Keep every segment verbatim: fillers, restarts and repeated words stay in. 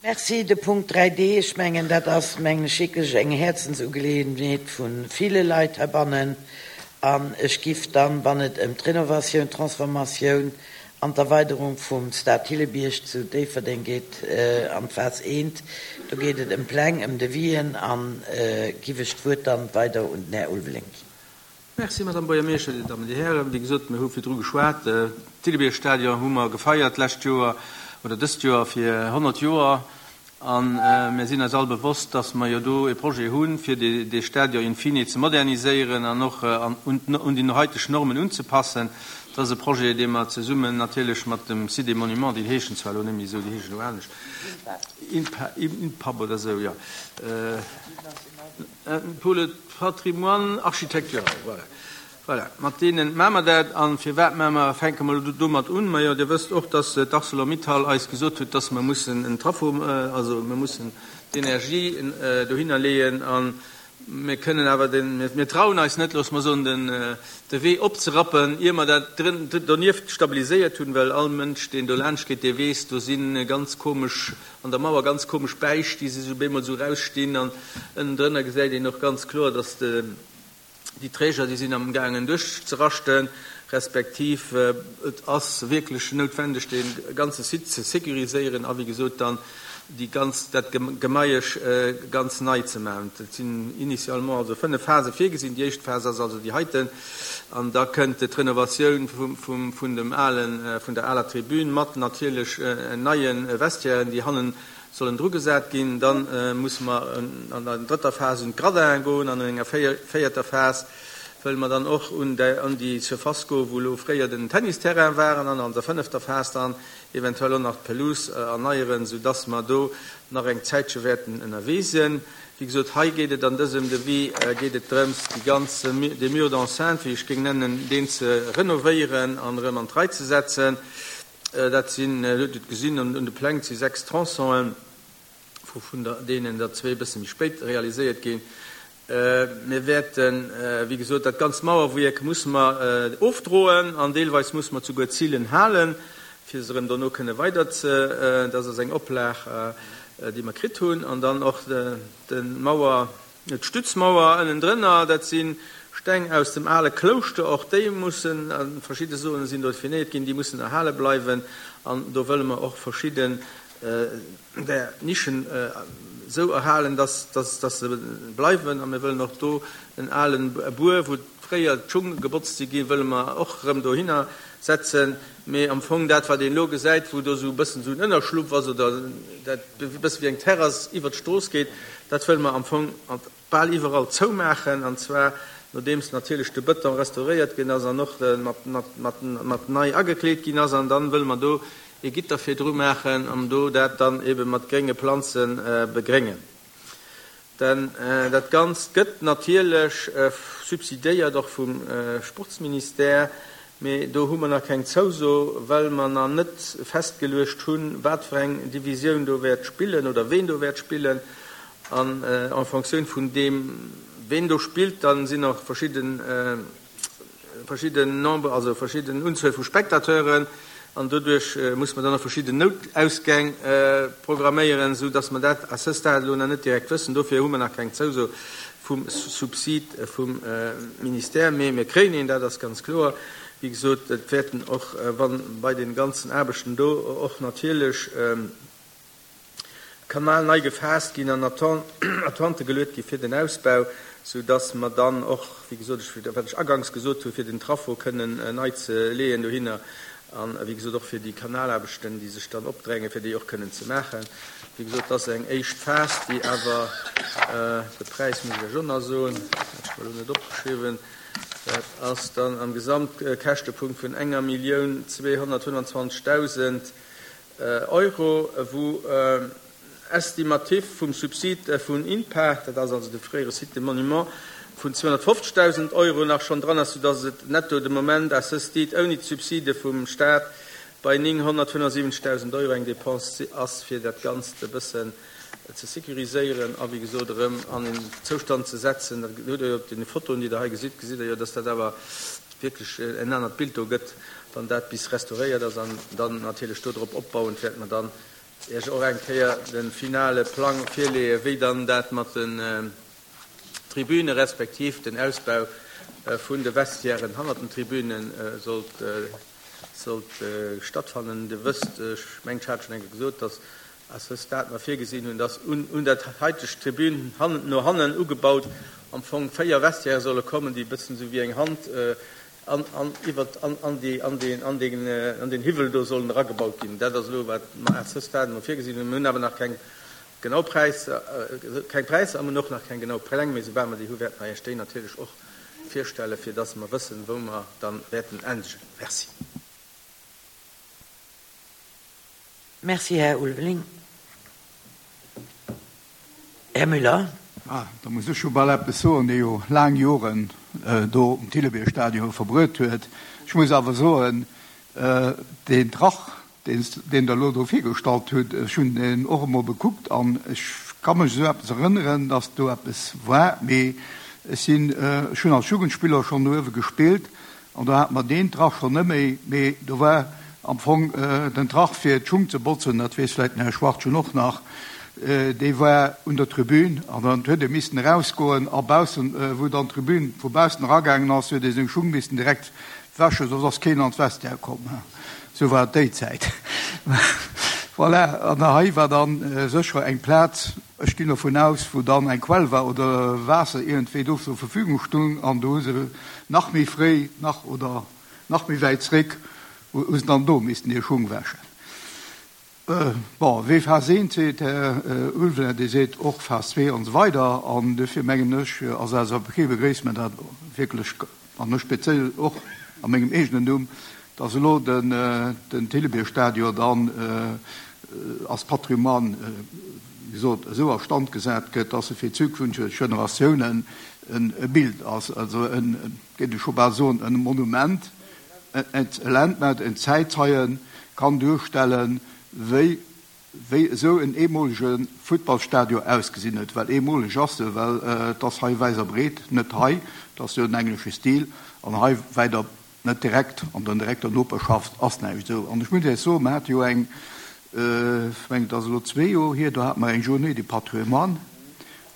Merci. De Punkt dräi D, ech mengen, dat ass, mengen ech, wierklech eng Häerzensugeleeënheet vu ville Leit heibannen. An ech giff dann, wann et ëm d'Renovatioun, d'Transformatioun an d'Erweiderung vum Stade Thillebierg zu Déifferdeng geet, an d'Phas eent, do geet et ëm Pläng, ëm Devis'en, a giff ech d'Wuert dann weider un den Här Ulveling ginn. Merci, Madame Buergermeeschter, Dir Dammen, Dir Hären. Wéi gesot, mir hu virdru geschwat. D'Thillebierg-Stadion hu mer gefeiert d'lescht Joer oder dëst Joer fir honnert Joer. A mir sinn eis all bewosst, dass mer jo do e Projet hunn, fir dee Stadion in fine ze moderniséieren an och un déi haiteg Normen unzepassen. Dat ass e Projet, dee mer zesummen natierlech mat dem Site des Monuments, déi heeschen zwar elo net méi esou, déi heeschen elo anescht, INPAP oder esou, jo. Pour le patrimoine architectural, voilà. Voilà, mat deene maache mer dat. A firwat maache mer, fänke mer elo domat un? Majo, Dir wësst och, dass d'Arcelor-Mittal eis gesot huet, dass mer mussen en Trafo, also mir mussen d'Energie dohinner leeën. A mir kënnen awer den, mir trauen eis net, loosse mer soen, den, de Wee opzerappen, ier mer dat donieft stabiliséiert hunn, well all Mënsch, deen do laanscht geet, dee weess, do si ganz komesch, an der Mauer ganz komesch Bäisch, déi si sou bemol sou rausstinn, an ënnendrënner gesäit een och ganz kloer, dass de, déi Träger, déi sinn am gaangen duerchzeraschten, respektiv et ass wierklech noutwendeg, dee ganze Site ze sécuriséieren a wéi gesot dann déi ganz, dat Gemaiesch ganz nei ze maachen. Et sinn initialement also fënnef Phase virgesinn. Déi éischt Phas ass also déi heiten an da kënnt d'Renovatioun vum, vun dem alen, vun der aler Tribün mat natierlech neie Vestiairen, déi hannen sollen drugesat ginn. Dann musse mer an der drëtter Phas un d'Gradinen goen an an enger véierter Phas wëlle mer dann och un déi Surface goen, wou elo fréier den Tennisterrain war, an an der fënnefter Phas dann eventuell och nach d'Pelouse erneieren, soudass mer do nach eng Zäitche wäerten ënnerwee sinn. Wéi gesot, hei geet et an dësem Devis geet et drëms, déi ganz, dee Mur d'enceinte, wéi ech géing nennen, deen ze renovéieren an erëm an d'Rei ze setzen. Dat sinn, Dir hutt et gesinn un de Pläng, et si sechs Tronçonen, vun deenen der zwee e bësse méi spéit realiséiert ginn. Mir wäerten, wéi gesot, dat ganzt Mauerwierk musse mer ofdroen an deelweis musse mer souguer d'Zillen halen, fir se erëm dono kënne weider ze, dat ass eng Oplag, déi mer kritt hunn. An dann och d'Mauer, d'Stützmauer ënnendrënner, dat si Steng aus dem ale Klouschter, och déi mussen, verschidde Soene sinn do definéiert ginn, déi mussen erhale bleiwen. An do wëlle mer och verschidden där Nischen esou erhalen, dass, dass, dass se bleiwen. A mir wëllen och do en alen Buer, wou fréier d'Schung gebotzt si ginn, wëlle mer och erëm dohinner setzen. Mee am Fong dat, wat een elo gesäit, wou do esou e bëssen esou en Ënnerschlupp ass oder dat e bësse wéi eng Terrass iwwert d'Strooss geet, dat wëlle mer am Fong bal iwwerall zoumaachen. An zwar nodeems natierlech de Bëton restauréiert ginn ass an och mat, mat, mat, mat nei agekleet ginn ass. An dann wëlle mer do ee Gitter virdru maachen an do dat dann ebe mat grénge Planze begréngen. Denn dat Ganzt gëtt natierlech subsidéiert, och vum Sportsministère, mee do hu mer nach keng Zouso, well mer nach net festgeluecht hunn, wat fir eng Divisioun do wäert spillen oder ween do wäert spillen. An en Fonctioun vun deem, ween do spillt, da sinn och verschidden, verschidden Nombre, also verschidden Unzuel vu Spectateuren, an doduerch muss mer dann och verschidden Noutausgäng programméieren, esou dass mer dat à ce stade elo nach net direkt wëssen. Dofir hu mer nach keng Zouso vum Subsid vum Ministère, mee mir kréien een, dat ass ganz kloer. Wéi gesot, et wäerten och, wann bei de ganzen Aarbechten do och natierlech Kanal nei gefaasst ginn an Attente geluet gi fir den Ausbau, sou dass mer dann och, wéi gesot, ech, wat ech aganks gesot hunn, fir den Traffo kënnen nei ze leeën dohinner an, wéi gesot, och fir déi Kanalaarbechten, déi sech dann opdrängen, fir déi och kënnen ze maachen. Wéi gesot, dat ass eng éischt Phas, déi awer, de Präis muss ech Iech och nach soen, hat ech mer elo net opgeschriwwen, dat ass dann am Gesamtkäschtepunkt vun enger Millioun zweehonnertfënnwandzwanzegdausend Euro, wou estimatif vum Subsid vun INPA, dat ass also de fréiere Site des Monuments, vun zweehonnertfofzegdausend Euro nach schonn dran ass, soudass et netto de Moment à ce stade ouni d'Subside vum Stat bei nénghonnertfënnefsiwwenzegdausend Euro eng Dépense ass, fir dat Ganzt e bëssen ze sécuriséieren a wéi gesot erëm an en Zoustand ze setzen. Dat hutt Der jo op deene Fotoen, déi Der hei gesitt, gesitt Der jo, dass dat awer wierklech en anert Bild do gëtt, wann dat bis restauréiert ass. An dann natierlech dodrop opbauend wäerte mer dann Iech och eng Kéier de finale Plang virleeën, wéi dann dat mat den Tribüne respektiv den Ausbau vun de Vestiairen hannert den Tribüne sollt sollt stattfannen. Dir wësst, ech mengen, ech hat schonn eng Kéier gesot, dass à ce stade mer virgesinn hunn, dass un un dat haiteg Tribün hannen no hannen ugebaut am Fong véier Vestiaire solle kommen, déi e bëssen esou wéi eng Hand an an iwwert an an déi an deen an deen an deen Hiwwel do sollen eragebaut ginn. Dat ass elo wat mer à ce stade emol virgesinn hunn. Mir hunn awer nach keng genau Präisser, keng Präisser a mir hunn och nach keng genau Pläng, mee soubal mer déi hu wäerte mer Iech déi natierlech och virstellen, fir dass mer wëssen, wou mer dann wäerten endegen. Merci. Merci, Här Ulveling. Här Müller. Ah, da muss ech jo bal eppes soen, dee jo laang Joren do um Thillebier-Stadion verbruet huet. Ech muss awer soen, deen Trach, deen deen Der elo do virgestallt hutt, ech hunn deen och emol bekuckt an ech ka mech esou eppes erënneren, dass do eppes war, mee ech sinn, ech hunn als Jugendspiller schonn do uewe gespillt an do hate mer deen Trach schonn net méi, mee do war am Fong den Trach fir d'Schung ze botzen, dat weess vläicht den Här Schwartgen och nach, dee war un der Tribün an dann huet ee missen erausgoen a baussen, wou dann d'Tribün vu baussen eragaangen ass, huet ee seng Schung missen direkt wäschen, soss ass keen an d'Vestiaire komm. Sou war et déi Zäit. Voilà, an hei war dann sécher eng Plaz, ech ginn dovun aus, wou dann eng Quell war oder Waasser iergendwéi do zur Verfügung stung an do hu se nach méi fréi nach oder nach méi wäit zréck, hu se dann do missten hir Schung wäschen. Bon, wee Phas eent seet, Här Ulveling, dee seet och Phas zwee an esou weider. An duerfir mengen ech, als L S A P begréisse mir dat wierklech, an ech speziell och a mengem eegenen Numm, dass elo den den Thillebier-Stadion dann als Patrimoine, wéi gesot, esou a Stand gesat gëtt, dass e fir zukünfteg Generatiounen e Bild ass, also en, géif ech scho bal soen, e Monument, en Landmark, en Zäitzeien kann duerstellen, wéi wéi esou en eemolege Futtballstadion ausgesinn huet, well eemoleg ass se, well et ass hei wäit a breet net hei, et ass jo den englesche Stil, an hei wäit a net direkt an der direkter Noperschaft ass näischt esou. An ech muss Iech soen, mer hate jo eng, ech mengen et ass elo zwee Joer hier, do hate mer eng Journée du patrimoine,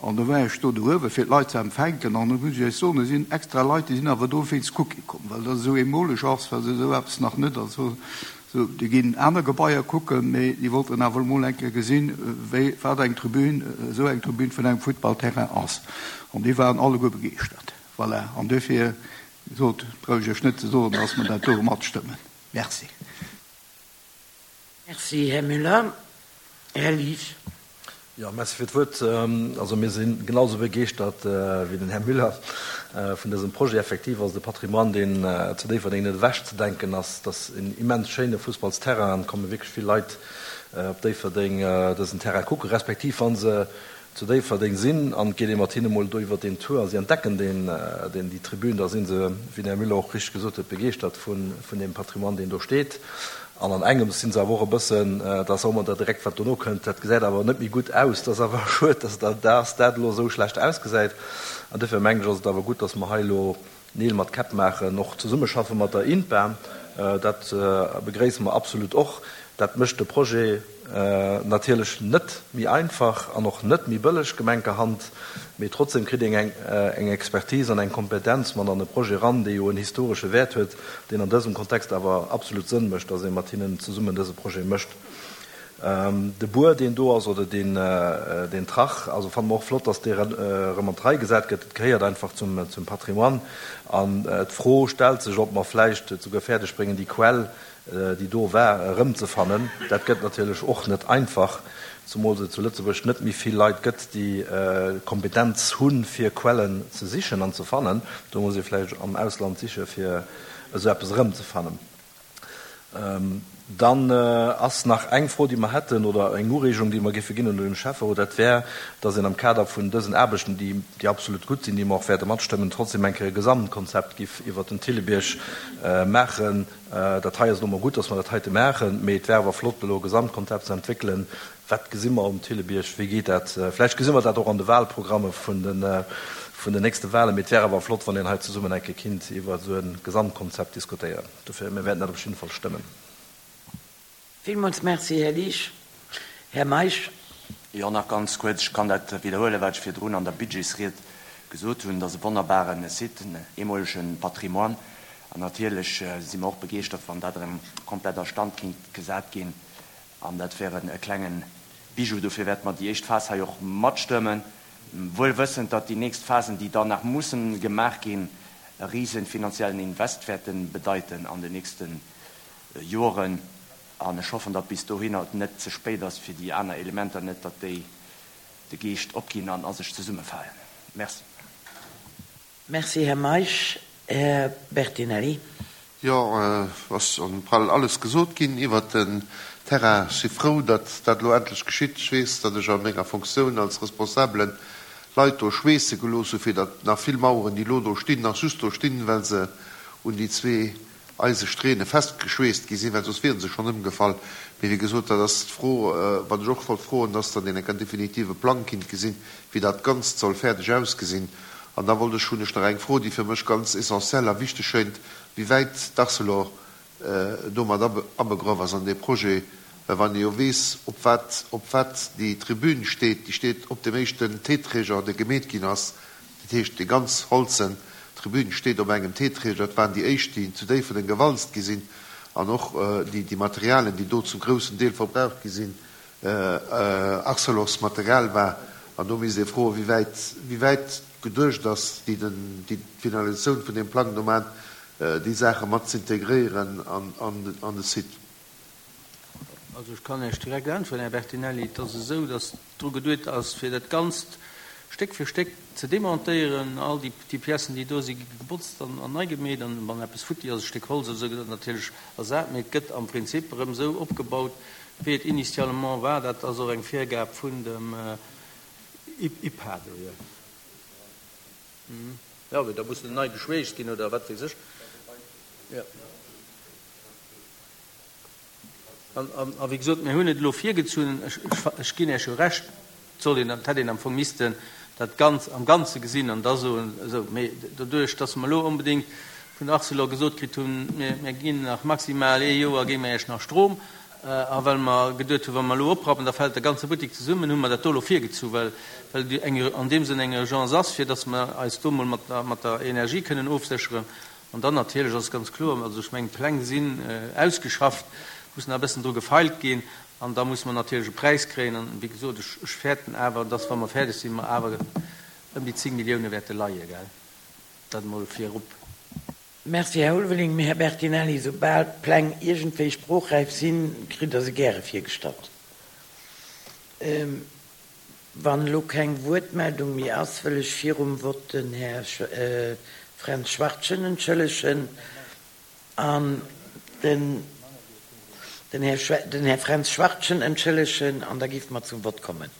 an do war ech do uewe fir d'Leit ze empfänken, an do muss ech Iech soen, do sinn extra Leit, déi sinn awer dowéinst kucke komm, well dat esou eemoleg ass, well se esou eppes nach net, also Sou, déi ginn aner Gebaier kucken, mee déi wollten awer emol eng Kéier gesinn, wéi, wat eng Tribün, esou eng Tribün vun engem Futtballterrain ass. An déi waren alleguer begeeschtert. Voilà. An duerfir, wéi gesot, brauch ech Iech net ze soen, dass mer dat do matstëmmen. Merci. Merci, Här Müller. Här Liesch. Jo, merci fir d'Wuert. Also mir si genau esou begeeschtert wéi den Här Müller vun dësem Projet. Effektiv ass et e Patrimoine, deen zu Déifferdeng net ewechzedenken ass. Et ass en immens schéine Fussballsterrain an et komme wierklech vill Leit op Déifferdeng dësen Terrain kucken, respektiv wa se zu Déifferdeng sinn an et geet ee mat hinne mol do iwwer deen Tour a si entdecken deen, deen, déi Tribün, da si se, wéi den Här Müller och richteg gesot huet, begeeschtert vun, vun deem Patrimoine, deen do steet. An an engems si se awer och e bëssen, dat ass och ëmmer dat direkt, wat dono kënnt, dat gesäit awer net méi gutt aus, dat ass awer schued, dass dat, dass dat elo esou schlecht ausgesäit. An duerfir mengen ech, ass et awer gutt, dass mer hei elo Neel mat Käpp maachen, och zesummeschaffe mat der INPA, dat begréisse mer absolut och. Dat mécht de Projet natierlech net méi einfach an och net méi bëlleg, gemenkerhand, mee trotzdem kritt een eng eng Expertise an eng Kompetenz mat an de Projet eran, dee jo en historesche Wäert huet, deen an dësem Kontext awer absolut Sënn mécht, dass ee mat hinnen zesummen dëse Projet mécht. De Buer, deen do ass, oder deen, deen Trach, also fanne mer och flott, dass dee erëm an d'Rei gesat gëtt. Et gehéiert einfach zum, zum Patrimoine. An d'Fro stellt sech, ob mer vläicht et souguer fäerdeg bréngen, déi Quell, déi do war, erëmzefannen. Dat gëtt natierlech och net einfach, zumools et zu Lëtzebuerg net méi vill Leit gëtt, déi d'Kompetenz hunn, fir Quellen ze sichen an ze fannen. Do muss ee vläicht am Ausland siche fir esou eppes erëmzefannen. Dann ass nach eng Fro, déi mer hätten, oder eng Ureegung, déi mer géife ginn un den Schäfferot, dat wär, dass een am Kader vun dësen Aarbechten, déi, déi absolut gutt sinn, déi mer och wäerte matstëmmen, trotzdem eng Kéier e Gesamtkonzept giff iwwert den Thillebierg maachen. Dat hei ass elo mol gutt, dass mer dat heite maachen, mee et wär awer flott, elo e Gesamtkonzept ze entwéckelen. Wat gesi mer um Thillebierg? Wéi geet dat? Vläicht gesi mer dat och an de Wahlprogramme vun de, vun den nächste Wahlen, mee et wär awer flott, wann een hei zesummen eng Kéier kinnt iwwer esou e Gesamtkonzept diskutéieren. Dofir, mir wäerten dat op jidde Fall stëmmen. Villmools Merci, Här Liesch. Här Meisch. Jo, nach ganz kuerz, ech kann dat widderhuelen, wat ech virdrun an der Budgetsried gesot hunn. Dat ass e wonnerbare Site, en eemolege Patrimoine. An natierlech si mer och begeeschtert, wann dat erëm komplett a Stand kinnt gesat ginn. An dat wär e klenge Bijou. Dofir wäerte mer déi éischt Phas hei och matstëmmen, wuel wëssend, datt déi nächst Phasen, déi dann nach mussen gemaach ginn, e rise finanziellen Invest wäerte bedeiten an den nächste Joren. An ech hoffen, datt bis dohinner et net ze spéit ass fir déi aner Elementer, net datt déi de Geescht opginn an a sech zesummefalen. Merci. Merci, Här Meisch. Här Bertinelli. Jo, ass bal alles gesot ginn iwwert den Terrain. Ech si frou, datt dat elo endlech geschitt. Ech weess, datt ech a menger Fonctioun als Responsabelen Leit do schweesse gelooss hu fir datt nach vill Maueren, déi elo do stinn, nach just do stinn, well se un déi zwee Eisesträhne festgeschweesst gi sinn, well soss wiere se schonn ëmgefall. Mee wéi gesot, dat ass d'Fro, wat ech och wollt froen, dass dann een enk en definitive Plang kinnt gesinn, wéi dat Ganzt soll fäerdeg ausgesinn. An da wollt ech, hunn ech nach eng Fro, déi fir mech ganz essentiell a wichteg schéint, wéi wäit d'Arcelor domat abegraff ass an dee Projet, well wann ee jo weess, op wat, op wat déi Tribün steet, déi steet op deem éischten T-Träger, dee gemeet ginn ass, dat heescht déi ganz holzen Tribün steet op engem T-Träger, dat waren déi éischt, déi zu Déifferdeng gewalzt gi sinn, an och déi, déi Materialien, déi do zum groussen Deel verbraucht gi sinn, Arcelors Material war. An do misst ee froen, wéi wäit, wéi wäit geduecht ass, déi den, déi d'Finalisatioun vun deem Plang do maachen, déi Saache mat z'integréieren an, an, an de Site. Also ech kann Iech direkt äntweren, Här Bertinelli, Et ass esou, datt dru geduet ass, fir dat Ganzt Stéck fir Stéck ze demontéieren. All déi, déi Piècen, déi do sinn, gi gebotzt an, an nei gemeet. An wann eppes futti ass, e Stéck Holz oder esou, gëtt dat natierlech ersat. Mee et gëtt am Prinzip erëm esou opgebaut, wéi et initialement war. Dat ass och eng Virgab vun dem IPA do, jo. Jo, mee da muss en nei geschweesst ginn oder wat weess ech. Jo. An, a wéi gesot, mir hunn et elo virgezunn. Ech, ech ginn Iech jo Recht, et soll een, et hätt een am Fong missten dat Ganz am Ganze gesinn an da soen, esou. Mee doduerch, dass mer elo onbedéngt vun Arcelor gesot kritt hunn, mir, mir ginn nach maximal ee Joer, gi mer Iech nach Strom, A well mer geduet hunn, wa mer elo oprappen, da fält de ganze Buttek zesummen, hu mer dat do elo virgezu, well well et eng an deem Sënn eng Urgence ass, fir datt mer eis do emol mat der mat der Energie kënnen ofsécheren. An dann natierlech ass ganz kloer, also ech mengen, d'Pläng sinn ausgeschafft, muss nach e bëssen dru gefeilt ginn an da musse mer natierlech e Präis kréien. An wéi gesot, ech ech fäerten awer, datt wa mer fäerdeg sinn, mer awer ëm déi zéng Millioune wäerte leie, gell. Dat emol virop. Merci, Här Ulveling. Mee, Här Bertinelli, soubal d'Pläng iergendwéi sproochräif sinn, kritt Der se gäre virgestallt. Wann elo keng Wuertmeldung méi ass, wëll ech virum Vott den Här Fränz Schwachtgen entschëllegen an den den Här Fränz Schwachtgen entschëllegen an da géife mer zum Vott kommen.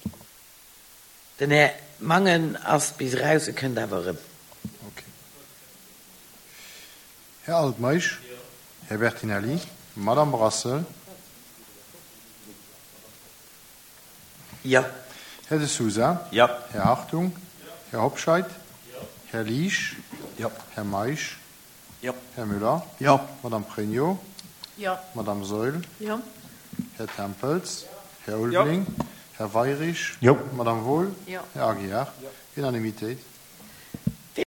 Den Här Mangen ass bis eraus, e kënnt awer erëm. Här Altmeisch, Här Bertinelli, Madame Brassel. Jo. Här De Sousa. Jo. Här Hartung. Här Hobscheit. Här Liesch. Jo. Här Meisch. Jo. Här Müller. Jo. Madame Pregno. Jo. Madame Saeul. Jo. Här Tempels. Här Ulveling. Här Weirich. Jo. Madame Wohl. Jo. Här Aguiar. Unanimitéit.